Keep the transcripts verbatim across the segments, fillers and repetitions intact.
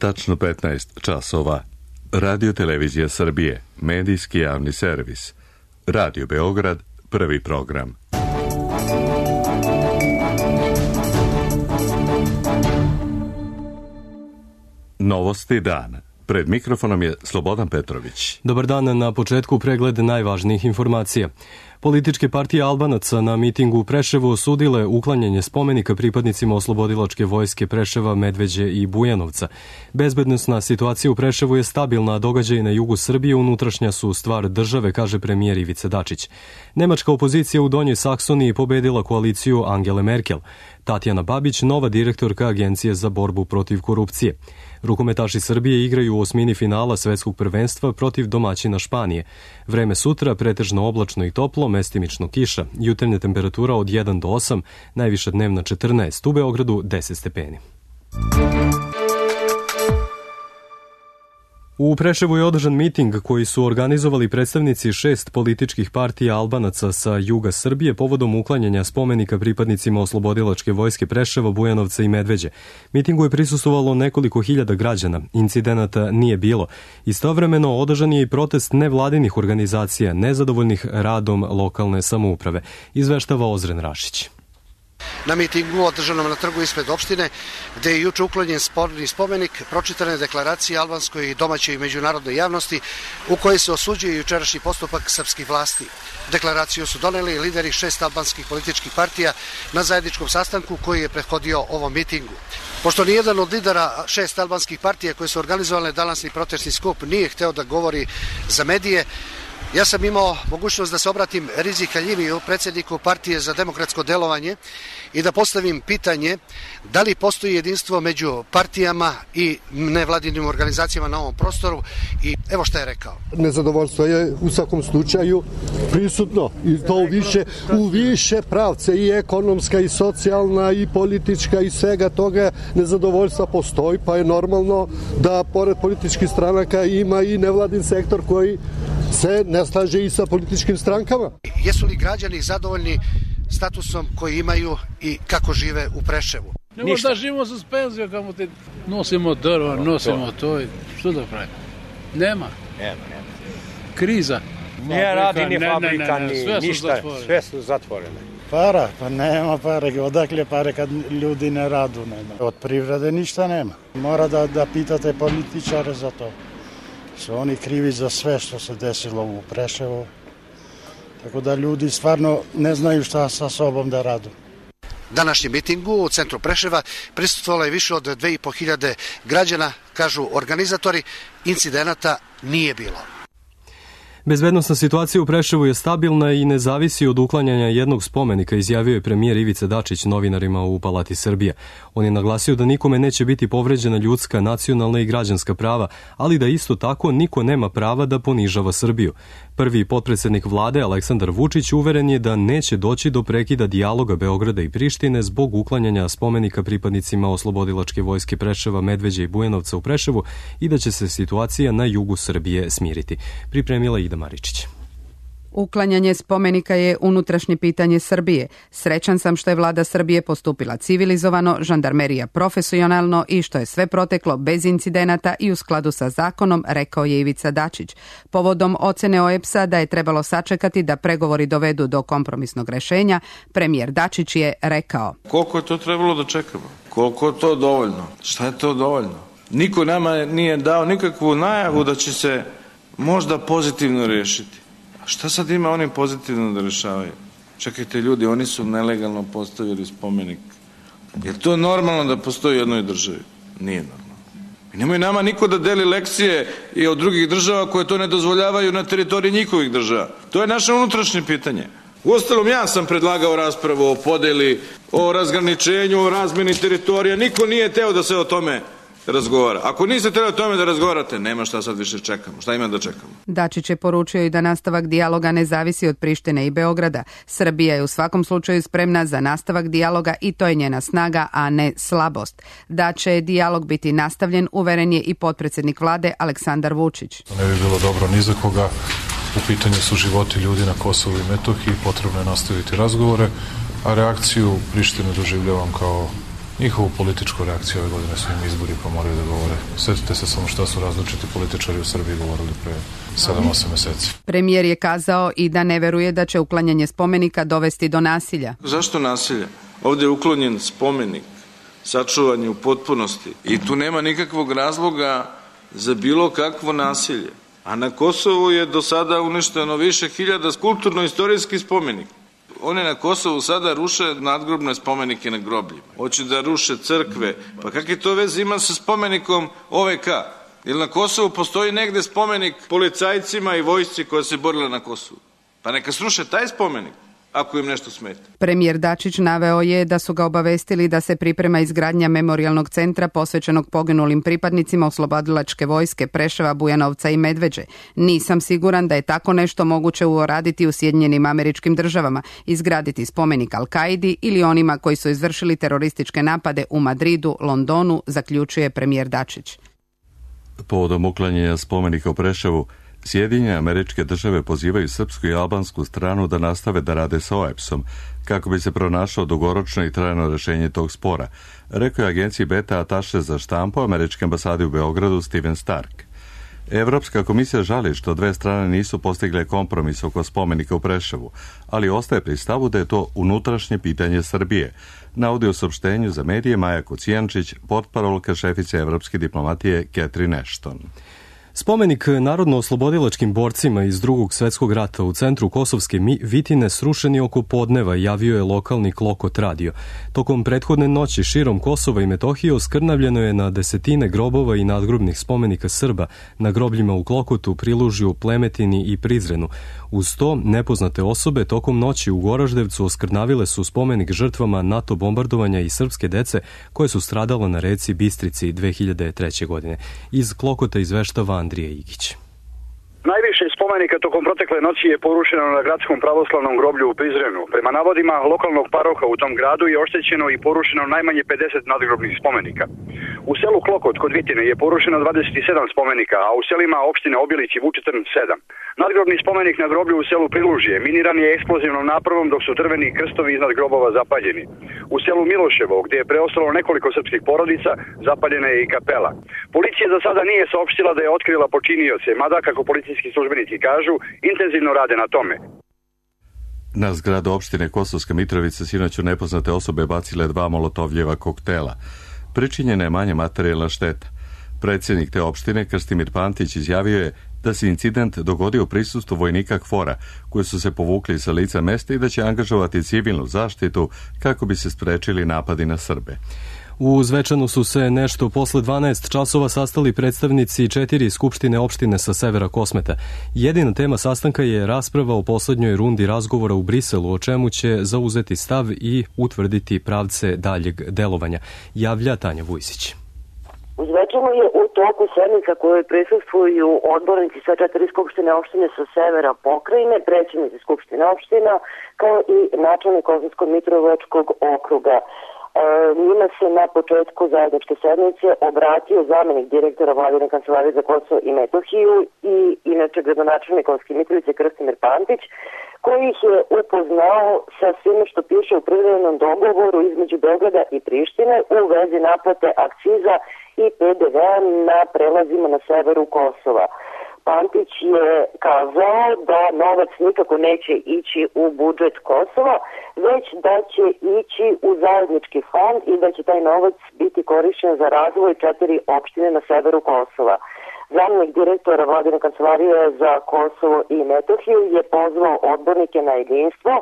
tačno petnaest časova. Radio Televizija Srbije, medijski javni servis. Radio Beograd, prvi program. Novosti dana. Pred mikrofonom je Slobodan Petrović. Dobar dan, na početku pregled najvažnijih informacija. Političke partije Albanaca na mitingu u Preševu osudile uklanjanje spomenika pripadnicima oslobodilačke vojske Preševa, Medveđe i Bujanovca. Bezbednosna situacija u Preševu je stabilna, a događaji na jugu Srbije unutrašnja su stvar države, kaže premijer Ivica Dačić. Nemačka opozicija u Donjoj Saksoniji pobedila koaliciju Angele Merkel. Tatjana Babić, nova direktorka Agencije za borbu protiv korupcije. Rukometaši Srbije igraju u osmini finala svetskog prvenstva protiv domaćina Španije. Vreme sutra pretežno oblačno i toplo, mestimično kiša. Jutarnja temperatura od jedan do osam, najviša dnevna četrnaest, u Beogradu deset stepeni. U Preševu je održan miting koji su organizovali predstavnici šest političkih partija Albanaca sa juga Srbije povodom uklanjanja spomenika pripadnicima oslobodilačke vojske Preševa, Bujanovca i Medveđe. Mitingu je prisustvovalo nekoliko hiljada građana. Incidenata nije bilo. Istovremeno održan je i protest nevladinih organizacija nezadovoljnih radom lokalne samouprave, izveštava Ozren Rašić. Na mitingu održanom na trgu ispred opštine, gde je juče uklonjen sporni spomenik, pročitane deklaracije albanskoj i domaćoj i međunarodnoj javnosti u kojoj se osuđuje jučerašnji postupak srpskih vlasti. Deklaraciju su doneli lideri šest albanskih političkih partija na zajedničkom sastanku koji je prethodio ovom mitingu. Pošto nijedan od lidera šest albanskih partija koje su organizovale današnji protestni skup nije hteo da govori za medije, ja sam imao mogućnost da se obratim Rizi Haljimiju, predsjedniku Partije za demokratsko delovanje, i da postavim pitanje da li postoji jedinstvo među partijama i nevladinim organizacijama na ovom prostoru, i evo šta je rekao. Nezadovoljstvo je u svakom slučaju prisutno i to u više, u više pravce, i ekonomska i socijalna i politička i svega toga nezadovoljstva postoji, pa je normalno da pored političkih stranaka ima i nevladin sektor koji se ne slaže i sa političkim strankama. Jesu li građani zadovoljni statusom koji imaju i kako žive u Preševu? Ne možda da živimo sa penzijom, kamo te nosimo drva, nosimo to i što da pravimo? Nema. Nema, nema. Kriza. Nije radi ni fabrika, ne, ne, ne. ni sve ništa, su sve su zatvorene. Para, pa nema pare, odakle pare kad ljudi ne radu nema. Od privrede ništa nema. Mora da, da pitate političare za to. Su oni krivi za sve što se desilo u Preševu. Tako da ljudi stvarno ne znaju šta sa sobom da radu. Današnjem mitingu u centru Preševa prisustvovalo je više od dve i po hiljade građana, kažu organizatori. Incidenata nije bilo. Bezbednosna situacija u Preševu je stabilna i ne zavisi od uklanjanja jednog spomenika, izjavio je premijer Ivica Dačić novinarima u Palati Srbije. On je naglasio da nikome neće biti povređena ljudska, nacionalna i građanska prava, ali da isto tako niko nema prava da ponižava Srbiju. Prvi potpredsednik vlade Aleksandar Vučić uveren je da neće doći do prekida dijaloga Beograda i Prištine zbog uklanjanja spomenika pripadnicima oslobodilačke vojske Preševa, Medveđe i Bujanovca u Preševu i da će se situacija na jugu Srbije smiriti. Pripremila Ida Maričić. Uklanjanje spomenika je unutrašnje pitanje Srbije. Srećan sam što je vlada Srbije postupila civilizovano, žandarmerija profesionalno i što je sve proteklo bez incidenata i u skladu sa zakonom, rekao je Ivica Dačić. Povodom ocene O E P S-a da je trebalo sačekati da pregovori dovedu do kompromisnog rešenja, premijer Dačić je rekao: koliko je to trebalo da čekamo? Koliko je to dovoljno? Šta je to dovoljno? Niko nama nije dao nikakvu najavu da će se možda pozitivno rešiti. A šta sad ima oni pozitivno da rešavaju? Čekajte ljudi, oni su nelegalno postavili spomenik. Je to normalno da postoji u jednoj državi? Nije normalno. I nemoj nama niko da deli lekcije i od drugih država koje to ne dozvoljavaju na teritoriji njihovih država. To je naše unutrašnje pitanje. Uostalom, ja sam predlagao raspravu o podeli, o razgraničenju, o razmeni teritorija. Niko nije teo da se o tome razgovara. Ako niste trebali o tome da razgovarate, nema šta sad više čekamo. Šta ima da čekamo? Dačić je poručio i da nastavak dijaloga ne zavisi od Prištine i Beograda. Srbija je u svakom slučaju spremna za nastavak dijaloga i to je njena snaga, a ne slabost. Da će dijalog biti nastavljen, uveren je i potpredsjednik vlade Aleksandar Vučić. To ne bi bilo dobro ni za koga. U pitanju su životi ljudi na Kosovu i Metohiji, potrebno je nastaviti razgovore, a reakciju Prištine doživljavam kao njihovu političku reakciju. Ove godine su im izbori pa moraju da govore. Sjetite se samo šta su različiti političari u Srbiji govorili pre sedam osam meseci. Premijer je kazao i da ne veruje da će uklanjanje spomenika dovesti do nasilja. Zašto nasilja? Ovdje je uklonjen spomenik, sačuvan je u potpunosti i tu nema nikakvog razloga za bilo kakvo nasilje. A na Kosovu je do sada uništeno više hiljada kulturno-istorijskih spomenika. Oni na Kosovu sada ruše nadgrobne spomenike na grobljima. Hoće da ruše crkve. Pa kakve to veze ima sa spomenikom O V K? Jer na Kosovu postoji negde spomenik policajcima i vojsci koja se borila na Kosovu. Pa neka sruše taj spomenik, ako im nešto smeta. Premijer Dačić naveo je da su ga obavestili da se priprema izgradnja memorijalnog centra posvećenog poginulim pripadnicima oslobodilačke vojske Preševa, Bujanovca i Medveđe. Nisam siguran da je tako nešto moguće uraditi u Sjedinjenim Američkim Državama, izgraditi spomenik Al-Kaidi ili onima koji su izvršili terorističke napade u Madridu, Londonu, zaključuje premijer Dačić. Povodom uklanjanja spomenika u Preševu, Sjedinjene Američke Države pozivaju srpsku i albansku stranu da nastave da rade sa O E B S-om kako bi se pronašlo dugoročno i trajno rešenje tog spora, rekao je agenciji Beta ataše za štampu američke ambasade u Beogradu Steven Stark. Evropska komisija žali što dve strane nisu postigle kompromis oko spomenika u Preševu, ali ostaje pri stavu da je to unutrašnje pitanje Srbije, navodi u saopštenju za medije Maja Kocijančić, portparolka šefice evropske diplomatije Catherine Ashton. Spomenik narodno-oslobodilačkim borcima iz drugog svetskog rata u centru Kosovske Vitine srušen je oko podneva, javio je lokalni Klokot radio. Tokom prethodne noći širom Kosova i Metohije oskrnavljeno je na desetine grobova i nadgrobnih spomenika Srba na grobljima u Klokotu, Prilužju, Plemetini i Prizrenu. Uz to, nepoznate osobe tokom noći u Goraždevcu oskrnavile su spomenik žrtvama NATO bombardovanja i srpske dece koje su stradala na reci Bistrici dve hiljade treće. godine. Iz Klokota izveštava Andrija Igić. Najviše spomenika tokom protekle noći je porušeno na gradskom pravoslavnom groblju u Prizrenu. Prema navodima lokalnog paroha u tom gradu je oštećeno i porušeno najmanje pedeset nadgrobnih spomenika. U selu Klokot kod Vitine je porušeno dvadeset sedam spomenika, a u selima opštine Obilić i Vučitrn sedam. Nadgrobni spomenik na groblju u selu Prilužje miniran je eksplozivnom napravom dok su drveni krstovi iznad grobova zapaljeni. U selu Miloševo, gdje je preostalo nekoliko srpskih porodica, zapaljena je i kapela. Policija za sada nije saopštila da je otkrila počinioce, mada, kako policijski službenici kažu, intenzivno rade na tome. Na zgradu opštine Kosovska Mitrovica sinoć su nepoznate osobe bacile dva molotovljeva koktela. Pričinjena je manja materijalna šteta. Predsjednik te opštine, Krstimir Pantić, izjavio je da se incident dogodio u prisustvu vojnika KFOR-a, koji su se povukli sa lica mesta i da će angažovati civilnu zaštitu kako bi se sprečili napadi na Srbe. U Zvečanu su se nešto posle dvanaest časova sastali predstavnici četiri skupštine opštine sa severa Kosmeta. Jedina tema sastanka je rasprava o poslednjoj rundi razgovora u Briselu, o čemu će zauzeti stav i utvrditi pravce daljeg delovanja, javlja Tanja Vujsić. U Zvečanu je u toku sednica koje prisustvuju odbornici sa četiri skupštine opštine sa severa pokrajine, predsjednici skupštine opština, kao i načelnik Kosovsko-Mitrovačkog okruga. E, njima se na početku zajedničke sednice obratio zamenik direktora Vladine kancelarije za Kosovo i Metohiju i inače gradonačelnik Kosovske Mitrovice Krstimir Pantić, koji ih je upoznao sa svime što piše u privremenom dogovoru između Beograda i Prištine u vezi naplate akciza i P D V-a na prelazima na severu Kosova. Pantić je kazao da novac nikako neće ići u budžet Kosova, već da će ići u zajednički fond i da će taj novac biti korišćen za razvoj četiri opštine na severu Kosova. Zamjenik direktora Vladine kancelarije za Kosovo i Metohiju je pozvao odbornike na jedinstvo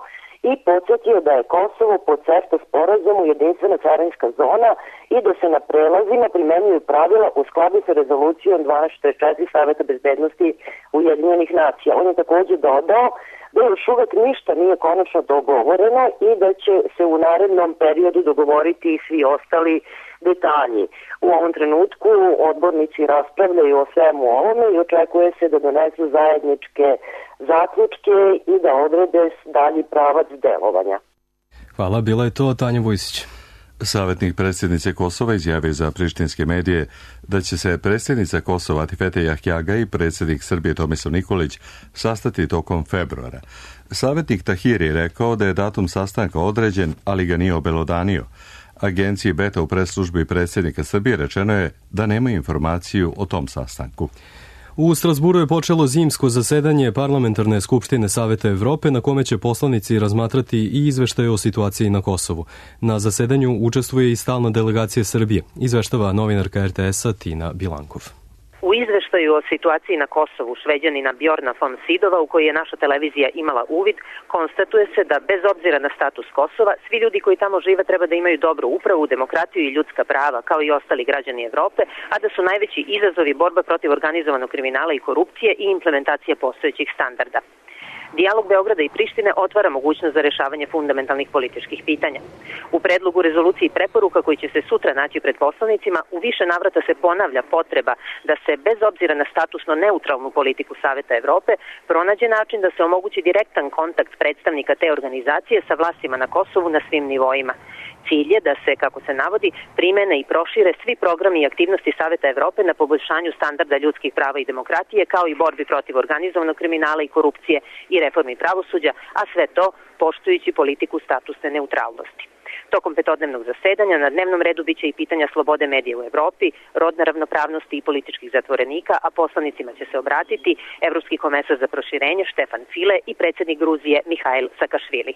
i podsjetio da je Kosovo po CEFTA sporazumu jedinstvena carinska zona i da se na prelazima primenjuju pravila u skladu sa rezolucijom dvanaest četrdeset četiri Saveta bezbednosti Ujedinjenih nacija. On je također dodao da još uvek ništa nije konačno dogovoreno i da će se u narednom periodu dogovoriti i svi ostali detalji. U ovom trenutku odbornici raspravljaju o svemu ovome i očekuje se da donesu zajedničke zaključke i da odrede dalji pravac delovanja. Hvala, bila je to Tanja Vujsić. Savjetnik predsjednice Kosova izjavio za prištinske medije da će se predsjednica Kosova Atifete Jahjaga i predsjednik Srbije Tomislav Nikolić sastati tokom februara. Savjetnik Tahiri je rekao da je datum sastanka određen, ali ga nije obelodanio. Agenciji Beta u press-službi predsjednika Srbije rečeno je da nema informaciju o tom sastanku. U Strasburu je počelo zimsko zasedanje Parlamentarne skupštine Saveta Evrope na kome će poslanici razmatrati i izveštaje o situaciji na Kosovu. Na zasedanju učestvuje i stalna delegacija Srbije, izveštava novinarka er te esa Tina Bilankov. U izveštaju o situaciji na Kosovu Šveđanina Bjorna von Sidova, u koji je naša televizija imala uvid, konstatuje se da bez obzira na status Kosova, svi ljudi koji tamo žive treba da imaju dobru upravu, demokratiju i ljudska prava, kao i ostali građani Evrope, a da su najveći izazovi borba protiv organizovanog kriminala i korupcije i implementacija postojećih standarda. Dijalog Beograda i Prištine otvara mogućnost za rešavanje fundamentalnih političkih pitanja. U predlogu rezolucije i preporuka koji će se sutra naći pred poslanicima, u više navrata se ponavlja potreba da se, bez obzira na statusno neutralnu politiku Saveta Evrope, pronađe način da se omogući direktan kontakt predstavnika te organizacije sa vlastima na Kosovu na svim nivoima. Cilj je da se, kako se navodi, primene i prošire svi programi i aktivnosti Saveta Evrope na poboljšanju standarda ljudskih prava i demokratije, kao i borbi protiv organizovanog kriminala i korupcije i reformi pravosuđa, a sve to poštujući politiku statusne neutralnosti. Tokom petodnevnog zasedanja na dnevnom redu biće i pitanja slobode medija u Evropi, rodne ravnopravnosti i političkih zatvorenika, a poslanicima će se obratiti Evropski komesar za proširenje Štefan File i predsjednik Gruzije Mihajl Sakašvili.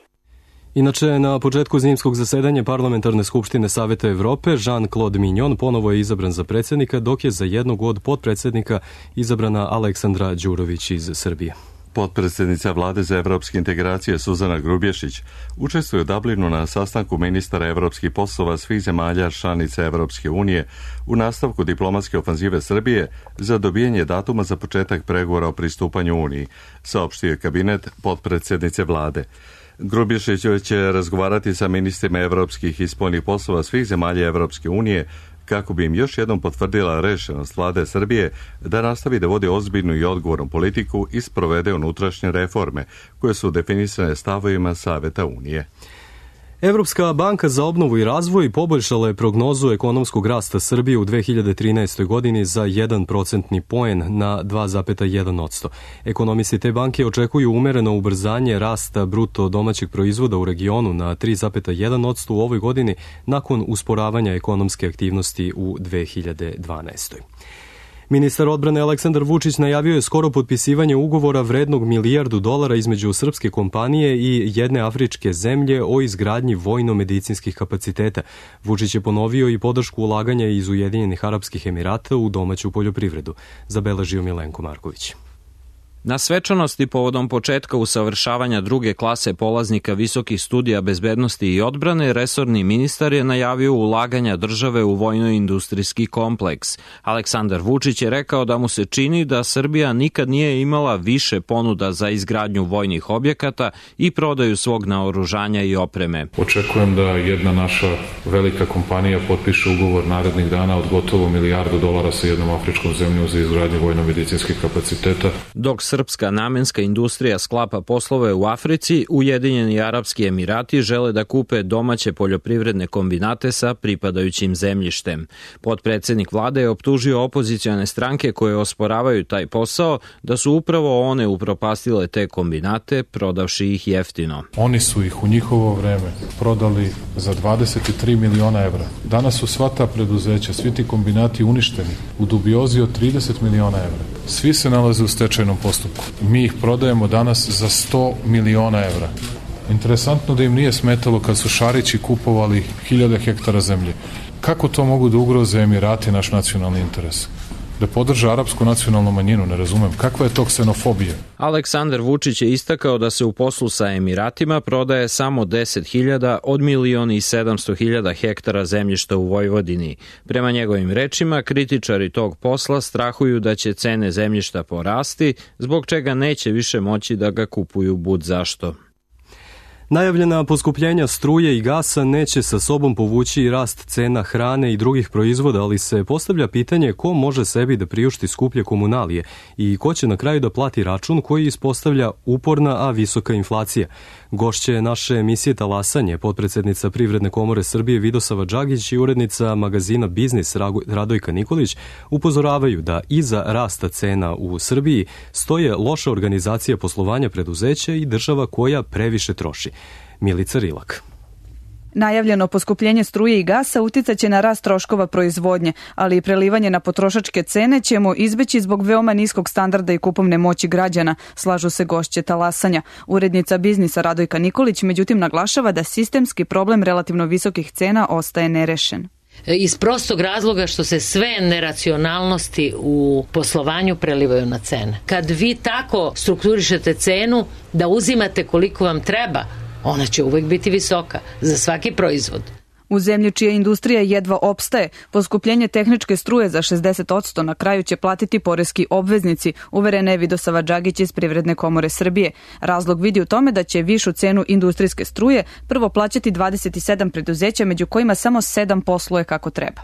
Inače, na početku zimskog zasedanja Parlamentarne skupštine Saveta Evrope Jean-Claude Mignon ponovo je izabran za predsjednika, dok je za jednog od potpredsjednika izabrana Aleksandra Đurović iz Srbije. Potpredsjednica Vlade za evropske integracije Suzana Grubješić učestvuje u Dublinu na sastanku ministara evropskih poslova svih zemalja članica Evropske unije u nastavku diplomatske ofanzive Srbije za dobijanje datuma za početak pregovora o pristupanju Uniji, saopštio je kabinet potpredsjednice Vlade. Grubješić će razgovarati sa ministrima evropskih i spoljnih poslova svih zemalja Evropske unije kako bi im još jednom potvrdila rešenost Vlade Srbije da nastavi da vodi ozbiljnu i odgovornu politiku i sprovede unutrašnje reforme koje su definisane stavovima Saveta Unije. Evropska banka za obnovu i razvoj poboljšala je prognozu ekonomskog rasta Srbije u dve hiljade trinaestoj. godini za jedan procentni poen na dva zarez jedan posto. Ekonomisti te banke očekuju umereno ubrzanje rasta bruto domaćeg proizvoda u regionu na tri zarez jedan posto u ovoj godini nakon usporavanja ekonomske aktivnosti u dve hiljade dvanaestoj. Ministar odbrane Aleksandar Vučić najavio je skoro potpisivanje ugovora vrednog milijardu dolara između srpske kompanije i jedne afričke zemlje o izgradnji vojno-medicinskih kapaciteta. Vučić je ponovio i podršku ulaganja iz Ujedinjenih Arapskih Emirata u domaću poljoprivredu, zabeležio Milenko Marković. Na svečanosti povodom početka usavršavanja druge klase polaznika visokih studija bezbednosti i odbrane, resorni ministar je najavio ulaganja države u vojno-industrijski kompleks. Aleksandar Vučić je rekao da mu se čini da Srbija nikad nije imala više ponuda za izgradnju vojnih objekata i prodaju svog naoružanja i opreme. Očekujem da jedna naša velika kompanija potpiše ugovor narednih dana od gotovo milijardu dolara sa jednom afričkom zemljom za izgradnju vojno-medicinskih kapaciteta. Dok srpska namenska industrija sklapa poslove u Africi, Ujedinjeni Arapski Emirati žele da kupe domaće poljoprivredne kombinate sa pripadajućim zemljištem. Potpredsjednik vlade je optužio opozicione stranke koje osporavaju taj posao da su upravo one upropastile te kombinate, prodavši ih jeftino. Oni su ih u njihovo vreme prodali za dvadeset tri miliona evra. Danas su sva ta preduzeća, svi ti kombinati uništeni u dubiozi od trideset miliona evra. Svi se nalaze u stečajnom postupku. Mi ih prodajemo danas za sto miliona evra. Interesantno da im nije smetalo kad su Šarići kupovali hiljade hektara zemlje. Kako to mogu da ugroze Emirati naš nacionalni interes? Da podrža arapsku nacionalnu manjinu, ne razumem. Kakva je to ksenofobija? Aleksandar Vučić je istakao da se u poslu sa Emiratima prodaje samo deset hiljada od milion i sedamsto hiljada hektara zemljišta u Vojvodini. Prema njegovim rečima, kritičari tog posla strahuju da će cene zemljišta porasti, zbog čega neće više moći da ga kupuju bud zašto. Najavljena poskupljenja struje i gasa neće sa sobom povući i rast cena hrane i drugih proizvoda, ali se postavlja pitanje ko može sebi da priušti skuplje komunalije i ko će na kraju da plati račun koji ispostavlja uporna, a visoka inflacija. Gošće naše emisije Talasanje, potpredsjednica Privredne komore Srbije Vidosava Đagić i urednica magazina Biznis Radojka Nikolić upozoravaju da iza rasta cena u Srbiji stoje loša organizacija poslovanja preduzeća i država koja previše troši. Milica Rilak. Najavljeno poskupljenje struje i gasa uticaće na rast troškova proizvodnje, ali i prelivanje na potrošačke cene ćemo izbeći zbog veoma niskog standarda i kupovne moći građana, slažu se gošće talasanja. Urednica biznisa Radojka Nikolić međutim naglašava da sistemski problem relativno visokih cena ostaje nerešen. Iz prostog razloga što se sve neracionalnosti u poslovanju prelivaju na cene. Kad vi tako strukturišete cenu da uzimate koliko vam treba, ona će uvek biti visoka za svaki proizvod. U zemlji čija industrija jedva opstaje, poskupljenje tehničke struje za šezdeset posto na kraju će platiti poreski obveznici, uverena je Vidosava Đagić iz Privredne komore Srbije. Razlog vidi u tome da će višu cenu industrijske struje prvo plaćati dvadeset sedam preduzeća, među kojima samo sedam posluje kako treba.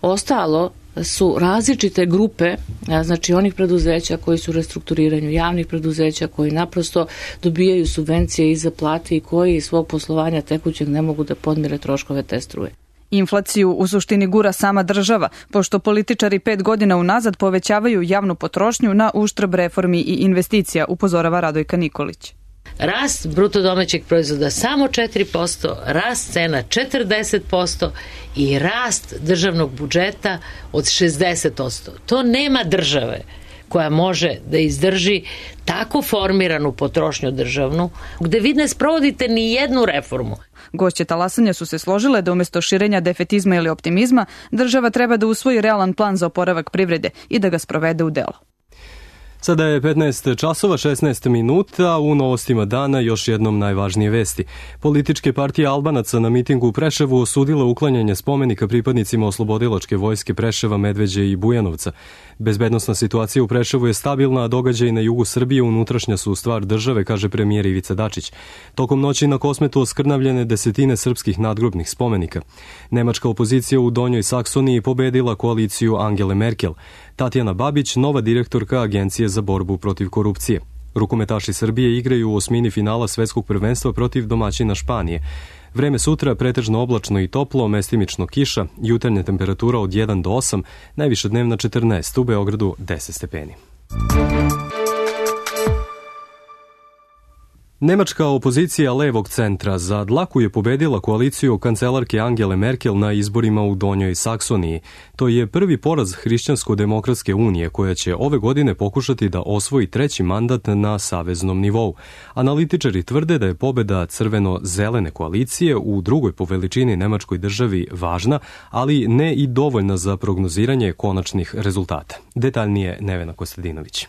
Ostalo su različite grupe, znači onih preduzeća koji su u restrukturiranju, javnih preduzeća koji naprosto dobijaju subvencije i za plate i koji iz svog poslovanja tekućeg ne mogu da podmire troškove te struje. Inflaciju u suštini gura sama država, pošto političari pet godina unazad povećavaju javnu potrošnju na uštrb reformi i investicija, upozorava Radojka Nikolić. Rast bruto domaćeg proizvoda samo četiri posto, rast cena četrdeset posto i rast državnog budžeta od šezdeset posto. To nema države koja može da izdrži tako formiranu potrošnju državnu, gde vi ne sprovodite ni jednu reformu. Gošće talasanja su se složile da umjesto širenja defetizma ili optimizma, država treba da usvoji realan plan za oporavak privrede i da ga sprovede u delo. Sada je petnaest časova šesnaest minuta, u novostima dana još jednom najvažnije vesti. Političke partije Albanaca na mitingu u Preševu osudile uklanjanje spomenika pripadnicima oslobodilačke vojske Preševa, Medveđe i Bujanovca. Bezbednosna situacija u Preševu je stabilna, a događaji na jugu Srbije unutrašnja su stvar države, kaže premijer Ivica Dačić. Tokom noći na Kosmetu oskrnavljene desetine srpskih nadgrobnih spomenika. Nemačka opozicija u Donjoj Saksoniji pobedila koaliciju Angele Merkel. Tatjana Babić, nova direktorka Agencije za borbu protiv korupcije. Rukometaši Srbije igraju u osmini finala svetskog prvenstva protiv domaćina Španije. Vreme sutra pretežno oblačno i toplo, mestimično kiša, jutarnja temperatura od jedan do osam, najviša dnevna četrnaest, u Beogradu deset stepeni. Nemačka opozicija levog centra za dlaku je pobedila koaliciju kancelarke Angele Merkel na izborima u Donjoj Saksoniji. To je prvi poraz Hrišćansko-demokratske unije koja će ove godine pokušati da osvoji treći mandat na saveznom nivou. Analitičari tvrde da je pobeda crveno-zelene koalicije u drugoj po veličini nemačkoj državi važna, ali ne i dovoljna za prognoziranje konačnih rezultata. Detaljnije Nevena Kostadinović.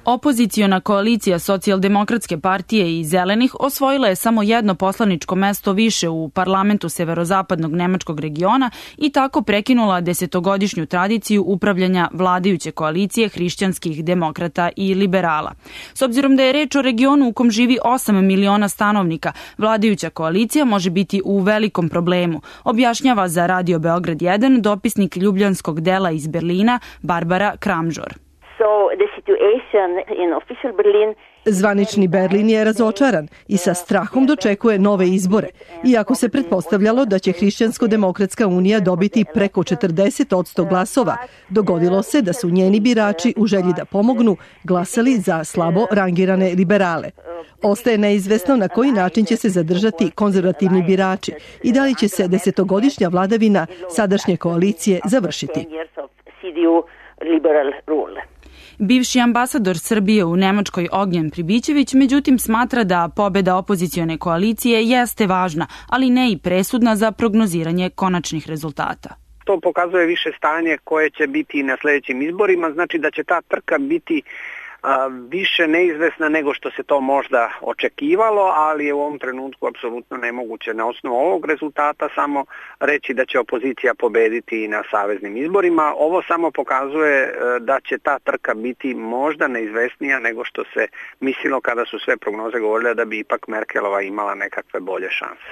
Opoziciona koalicija Socijaldemokratske partije i Zelenih osvojila je samo jedno poslaničko mesto više u parlamentu severozapadnog nemačkog regiona i tako prekinula desetogodišnju tradiciju upravljanja vladajuće koalicije hrišćanskih demokrata i liberala. S obzirom da je reč o regionu u kom živi osam miliona stanovnika, vladajuća koalicija može biti u velikom problemu, objašnjava za Radio Beograd jedan dopisnik ljubljanskog dela iz Berlina Barbara Kramžor. Zvanični Berlin je razočaran i sa strahom dočekuje nove izbore. Iako se pretpostavljalo da će Hrišćansko-demokratska unija dobiti preko četrdeset posto glasova, dogodilo se da su njeni birači u želji da pomognu glasali za slabo rangirane liberale. Ostaje neizvesno na koji način će se zadržati konzervativni birači i da li će se desetogodišnja vladavina sadašnje koalicije završiti. Bivši ambasador Srbije u Nemačkoj Ognjen Pribićević međutim smatra da pobeda opozicione koalicije jeste važna, ali ne i presudna za prognoziranje konačnih rezultata. To pokazuje više stanje koje će biti i na sljedećim izborima, znači da će ta trka biti a, više neizvesna nego što se to možda očekivalo, ali je u ovom trenutku apsolutno nemoguće na osnovu ovog rezultata samo reći da će opozicija pobediti na saveznim izborima. Ovo samo pokazuje da će ta trka biti možda neizvesnija nego što se mislilo kada su sve prognoze govorile da bi ipak Merkelova imala nekakve bolje šanse.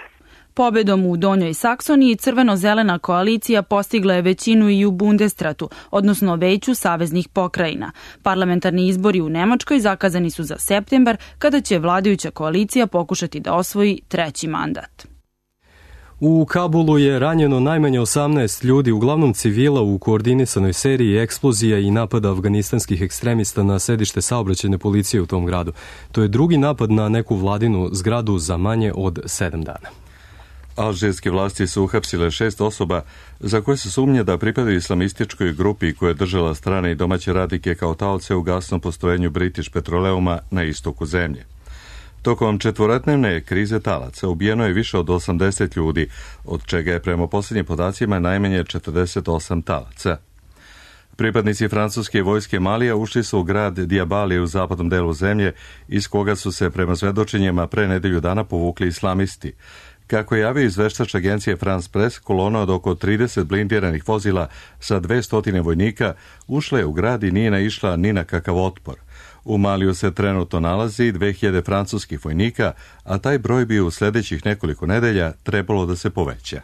Pobedom u Donjoj Saksoniji crveno-zelena koalicija postigla je većinu i u Bundestratu, odnosno veću saveznih pokrajina. Parlamentarni izbori u Nemačkoj zakazani su za septembar, kada će vladajuća koalicija pokušati da osvoji treći mandat. U Kabulu je ranjeno najmanje osamnaest ljudi, uglavnom civila, u koordinisanoj seriji eksplozija i napada afganistanskih ekstremista na sedište saobraćajne policije u tom gradu. To je drugi napad na neku vladinu zgradu za manje od sedam dana. Alžirske vlasti su uhapsile šest osoba za koje se sumnja da pripadaju islamističkoj grupi koja je držala strane i domaće radnike kao taoce u gasnom postrojenju British Petroleuma na istoku zemlje. Tokom četvorodnevne krize talaca ubijeno je više od osamdeset ljudi, od čega je prema posljednjim podacima najmanje četrdeset osam talaca. Pripadnici francuske vojske Malija ušli su u grad Diabali u zapadnom delu zemlje, iz koga su se prema svedočenjima pre nedelju dana povukli islamisti. Kako je javio izveštač agencije France Press, kolona od oko trideset blindiranih vozila sa dvesta vojnika ušla je u grad i nije naišla ni na kakav otpor. U Maliju se trenutno nalazi dve hiljade francuskih vojnika, a taj broj bi u sljedećih nekoliko nedelja trebalo da se poveća.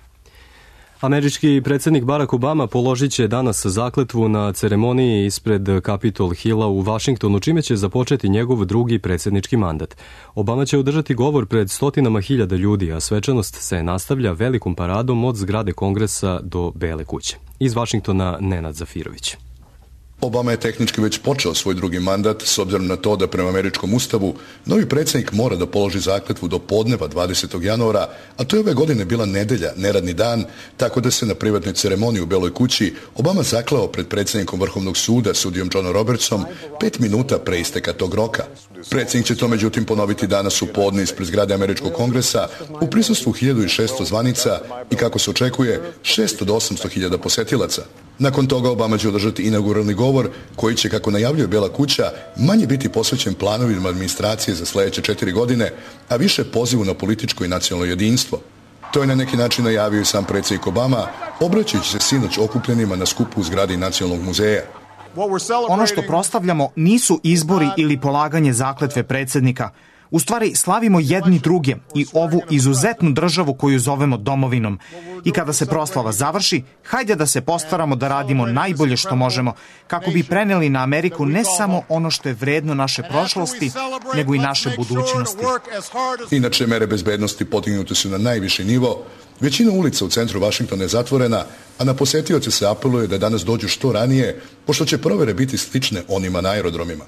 Američki predsjednik Barack Obama položit će danas zakletvu na ceremoniji ispred Capitol Hilla u Vašingtonu, čime će započeti njegov drugi predsjednički mandat. Obama će održati govor pred stotinama hiljada ljudi, a svečanost se nastavlja velikom paradom od zgrade Kongresa do Bele kuće. Iz Vašingtona Nenad Zafirović. Obama je tehnički već počeo svoj drugi mandat s obzirom na to da prema američkom ustavu novi predsjednik mora da položi zakletvu do podneva dvadesetog januara, a to je ove godine bila nedelja, neradni dan, tako da se na privatnoj ceremoniji u Beloj kući Obama zaklao pred predsjednikom Vrhovnog suda, sudijom Johnom Robertsom, pet minuta pre isteka tog roka. Predsjednik će to međutim ponoviti danas u podne ispred zgrade Američkog kongresa u prisustvu hiljadu šesto zvanica i, kako se očekuje, šesto do osamsto hiljada posetilaca. Nakon toga Obama će održati inauguralni govor koji će, kako najavljuje Bela kuća, manje biti posvećen planovima administracije za sljedeće četiri godine, a više pozivu na političko i nacionalno jedinstvo. To je na neki način najavio i sam predsjednik Obama, obraćajući se sinoć okupljenima na skupu u zgradi Nacionalnog muzeja. Ono što proslavljamo nisu izbori ili polaganje zakletve predsjednika. U stvari slavimo jedni druge i ovu izuzetnu državu koju zovemo domovinom. I kada se proslava završi, hajde da se postaramo da radimo najbolje što možemo, kako bi preneli na Ameriku ne samo ono što je vredno naše prošlosti, nego i naše budućnosti. Inače, mere bezbednosti podignute su na najviši nivo. Većina ulica u centru Vašingtona je zatvorena, a na posetioce se apeluje da danas dođu što ranije, pošto će provere biti slične onima na aerodromima.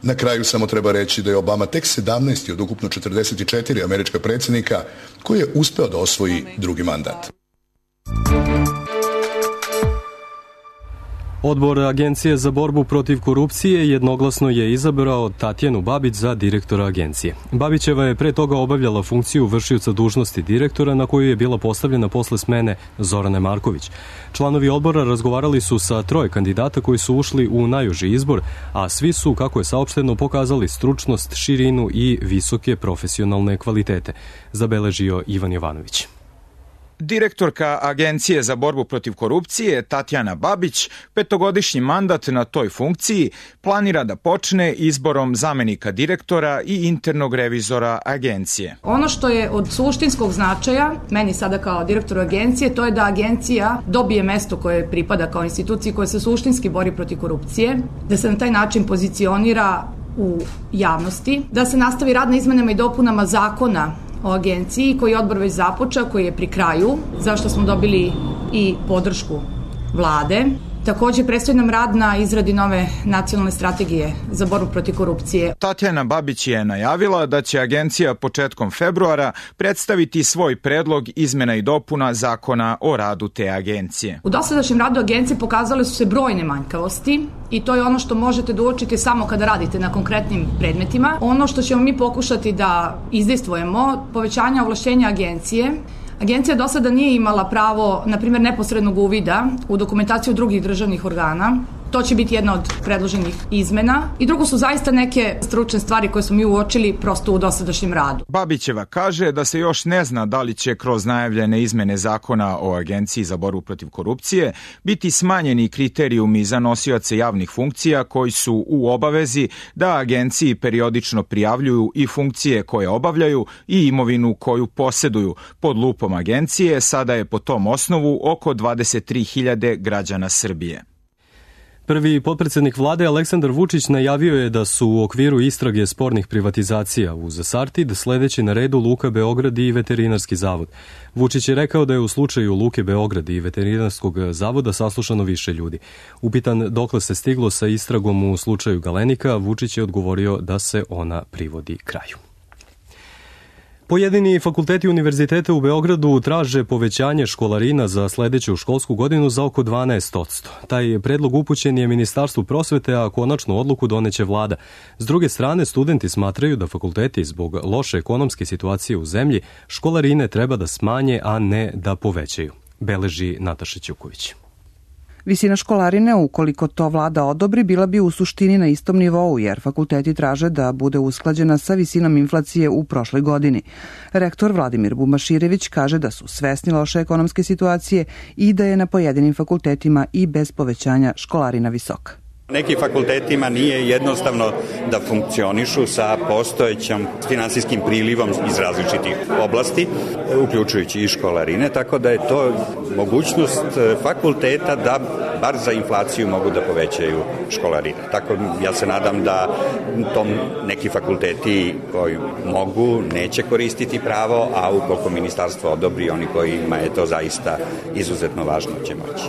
Na kraju samo treba reći da je Obama tek sedamnaesti od ukupno četrdeset četiri američka predsjednika koji je uspeo da osvoji drugi mandat. Odbor Agencije za borbu protiv korupcije jednoglasno je izabrao Tatjanu Babić za direktora agencije. Babićeva je pre toga obavljala funkciju vršioca dužnosti direktora, na koju je bila postavljena posle smene Zorane Marković. Članovi odbora razgovarali su sa troje kandidata koji su ušli u najuži izbor, a svi su, kako je saopšteno, pokazali stručnost, širinu i visoke profesionalne kvalitete, zabeležio Ivan Jovanović. Direktorka Agencije za borbu protiv korupcije Tatjana Babić petogodišnji mandat na toj funkciji planira da počne izborom zamenika direktora i internog revizora agencije. Ono što je od suštinskog značaja, meni sada kao direktoru agencije, to je da agencija dobije mesto koje pripada kao instituciji koja se suštinski bori protiv korupcije, da se na taj način pozicionira u javnosti, da se nastavi rad na izmenama i dopunama zakona o agenciji koji je odbor već započeo, koji je pri kraju, zašto smo dobili i podršku vlade. Također predstoji nam rad na izradi nove nacionalne strategije za borbu protiv korupcije. Tatjana Babić je najavila da će agencija početkom februara predstaviti svoj predlog izmena i dopuna zakona o radu te agencije. U dosadašnjem radu agencije pokazale su se brojne manjkavosti i to je ono što možete da uočite samo kada radite na konkretnim predmetima. Ono što ćemo mi pokušati da izdejstvujemo, povećanje ovlašćenja agencije. Agencija do sada nije imala pravo, na primjer, neposrednog uvida u dokumentaciju drugih državnih organa. To će biti jedna od predloženih izmena. I drugo su zaista neke stručne stvari koje smo mi uočili prosto u dosadašnjem radu. Babićeva kaže da se još ne zna da li će kroz najavljene izmene zakona o Agenciji za borbu protiv korupcije biti smanjeni kriterijumi za nosioce javnih funkcija koji su u obavezi da agenciji periodično prijavljuju i funkcije koje obavljaju i imovinu koju poseduju. Pod lupom agencije sada je po tom osnovu oko dvadeset tri hiljade građana Srbije. Prvi potpredsjednik vlade Aleksandar Vučić najavio je da su u okviru istrage spornih privatizacija uz Sartid sledeći na redu Luka Beograd i Veterinarski zavod. Vučić je rekao da je u slučaju Luke Beograd i Veterinarskog zavoda saslušano više ljudi. Upitan dokle se stiglo sa istragom u slučaju Galenika, Vučić je odgovorio da se ona privodi kraju. Pojedini fakulteti univerziteta u Beogradu traže povećanje školarina za sledeću školsku godinu za oko dvanaest posto. Taj predlog upućen je Ministarstvu prosvete, a konačnu odluku doneće vlada. S druge strane, studenti smatraju da fakulteti zbog loše ekonomske situacije u zemlji školarine treba da smanje, a ne da povećaju. Beleži Nataša Ćuković. Visina školarine, ukoliko to vlada odobri, bila bi u suštini na istom nivou, jer fakulteti traže da bude usklađena sa visinom inflacije u prošloj godini. Rektor Vladimir Bumaširević kaže da su svesni loše ekonomske situacije i da je na pojedinim fakultetima i bez povećanja školarina visoka. Nekim fakultetima nije jednostavno da funkcionišu sa postojećim finansijskim prilivom iz različitih oblasti, uključujući i školarine, tako da je to mogućnost fakulteta da bar za inflaciju mogu da povećaju školarine. Tako ja se nadam da tom neki fakulteti koji mogu neće koristiti pravo, a ukoliko ministarstvo odobri, oni kojima je to zaista izuzetno važno će moći.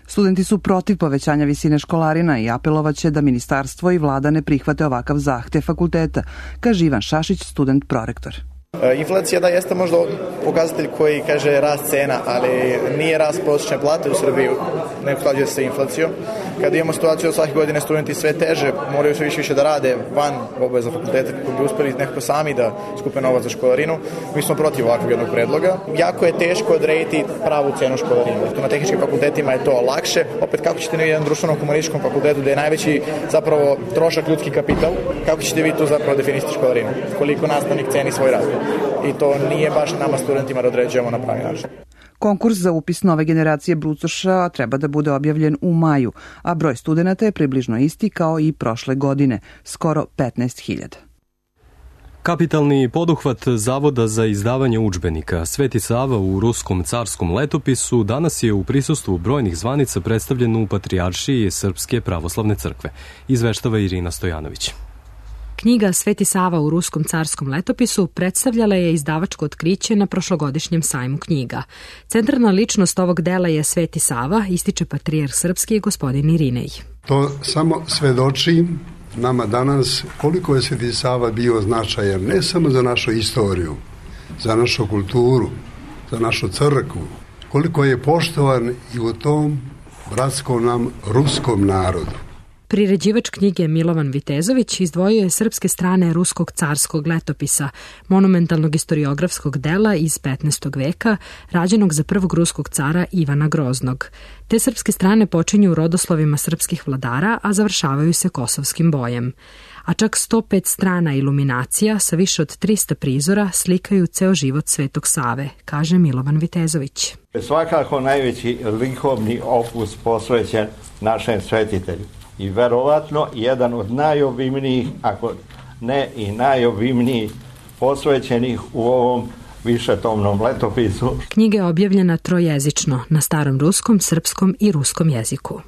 Studenti su protiv povećanja visine školarina i apelovaće da ministarstvo i vlada ne prihvate ovakav zahtev fakulteta, kaže Ivan Šašić, student prorektor. Inflacija da jeste možda pokazatelj koji kaže rast cena, ali nije rast prosječne plate u Srbiji, ne usklađuje se sa inflacijom. Kada imamo situaciju da svake godine studenti sve teže moraju sve više više da rade van obaveza fakulteta kako bi uspeli nekako sami da skupe novac za školarinu, mi smo protiv ovakvog jednog predloga. Jako je teško odrediti pravu cenu školarine. Na tehničkim fakultetima je to lakše. Opet kako ćete na jedan društveno-humanističkom fakultetu da je najveći zapravo trošak ljudski kapital, kako ćete vi tu zapravo definisati školarinu? Koliko nastavnik ceni svoj rad? I to nije baš nama studentima da određujemo na pravi način. Konkurs za upis nove generacije brucoša treba da bude objavljen u maju, a broj studenata je približno isti kao i prošle godine, skoro petnaest hiljada. Kapitalni poduhvat Zavoda za izdavanje udžbenika Sveti Sava u Ruskom carskom letopisu danas je u prisustvu brojnih zvanica predstavljen u Patrijaršiji Srpske pravoslavne crkve, izveštava Irina Stojanović. Knjiga Sveti Sava u Ruskom carskom letopisu predstavljala je izdavačko otkriće na prošlogodišnjem sajmu knjiga. Centralna ličnost ovog dela je Sveti Sava, ističe patrijarh srpski gospodin Irinej. To samo svedoči nama danas koliko je Sveti Sava bio značajan ne samo za našu istoriju, za našu kulturu, za našu crkvu, koliko je poštovan i u tom bratskom nam ruskom narodu. Priređivač knjige Milovan Vitezović izdvojio je srpske strane Ruskog carskog letopisa, monumentalnog istoriografskog dela iz petnaestog veka, rađenog za prvog ruskog cara Ivana Groznog. Te srpske strane počinju rodoslovima srpskih vladara, a završavaju se kosovskim bojem. A čak sto pet strana iluminacija sa više od trista prizora slikaju ceo život Svetog Save, kaže Milovan Vitezović. Svakako najveći likovni opus posvećen našem svetitelju. I verovatno jedan od najobimnijih, ako ne i najobimnijih, posvećenih u ovom višetomnom letopisu. Knjiga je objavljena trojezično, na starom ruskom, srpskom i ruskom jeziku.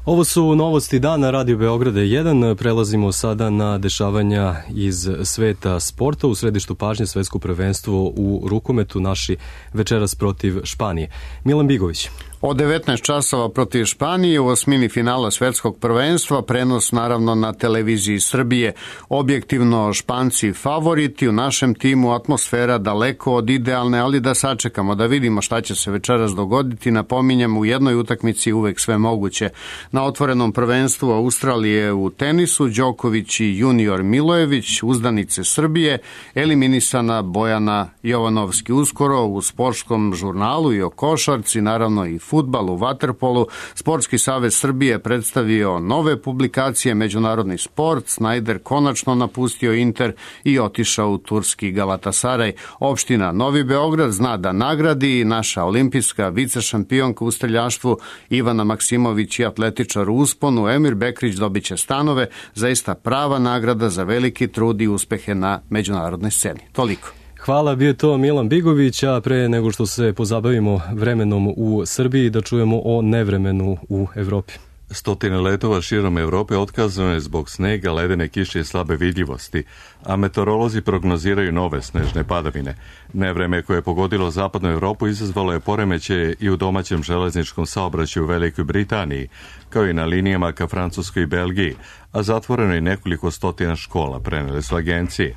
Ovo su novosti dana Radio Beograda jedan. Prelazimo sada na dešavanja iz sveta sporta. U središtu pažnje svetsko prvenstvo u rukometu, naši večeras protiv Španije. Milan Bigović. Od devetnaest časova protiv Španije u osmini finala svetskog prvenstva, prenos naravno na televiziji Srbije. Objektivno Španci favoriti, u našem timu atmosfera daleko od idealne, ali da sačekamo, da vidimo šta će se večeras dogoditi. Napominjem, u jednoj utakmici uvek sve moguće. Na otvorenom prvenstvu Australije u tenisu, Đoković i junior Milojević, uzdanice Srbije, eliminisana Bojana Jovanovski. Uskoro u sportskom žurnalu i o košarci, naravno i fudbal, u vaterpolu, Sportski savez Srbije predstavio nove publikacije, međunarodni sport, Snajder konačno napustio Inter i otišao u turski Galatasaraj. Opština Novi Beograd zna da nagradi naša olimpijska vicešampionka u streljaštvu Ivana Maksimović i atletičar u usponu Emir Bekrić dobit će stanove, zaista prava nagrada za veliki trud i uspehe na međunarodnoj sceni. Toliko. Hvala, bio to Milan Bigović, a pre nego što se pozabavimo vremenom u Srbiji, da čujemo o nevremenu u Evropi. Stotine letova širom Evrope otkazano je zbog snega, ledene kiše i slabe vidljivosti, a meteorolozi prognoziraju nove snežne padavine. Nevreme koje je pogodilo zapadnu Evropu izazvalo je poremećaje i u domaćem železničkom saobraćaju u Velikoj Britaniji, kao i na linijama ka Francuskoj i Belgiji, a zatvoreno je nekoliko stotina škola, prenele su agencije.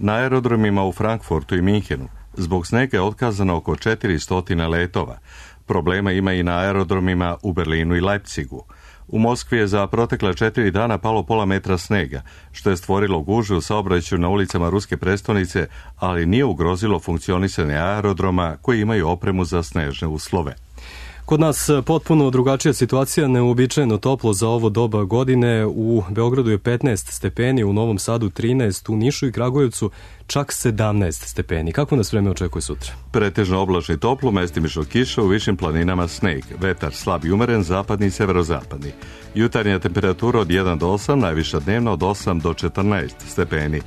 Na aerodromima u Frankfurtu i Minhenu zbog snega je otkazano oko četiristo letova. Problema ima i na aerodromima u Berlinu i Leipzigu. U Moskvi je za protekla četiri dana palo pola metra snega, što je stvorilo gužve u saobraćaju na ulicama ruske prestonice, ali nije ugrozilo funkcionisanje aerodroma koji imaju opremu za snežne uslove. Kod nas potpuno drugačija situacija, neuobičajeno toplo za ovo doba godine. U Beogradu je petnaest stepeni, u Novom Sadu trinaest, u Nišu i Kragujevcu čak sedamnaest stepeni. Kako nas vreme očekuje sutra? Pretežno oblačno i toplo, mestimično kiša, u višim planinama sneg. Vetar slab i umeren, zapadni i severozapadni. Jutarnja temperatura od jedan do osam, najviša dnevna od osam do četrnaest stepeni.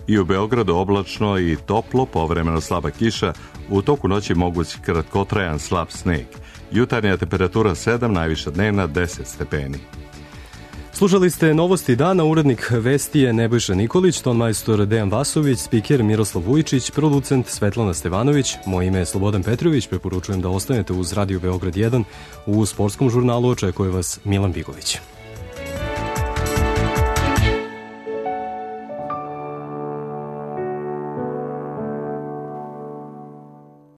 I u Beogradu oblačno i toplo, povremeno slaba kiša, u toku noći moguć kratkotrajan slab sneg. Jutarnja temperatura sedam, najviša dnevna deset stepeni. Slušali ste Novosti dana, urednik vesti je Nebojša Nikolić, tonmajstor Dejan Vasović, spiker Miroslav Vujičić, producent Svetlana Stevanović, moje ime je Slobodan Petrović, preporučujem da ostanete uz Radio Beograd jedan, u sportskom žurnalu očekuje vas Milan Bigović.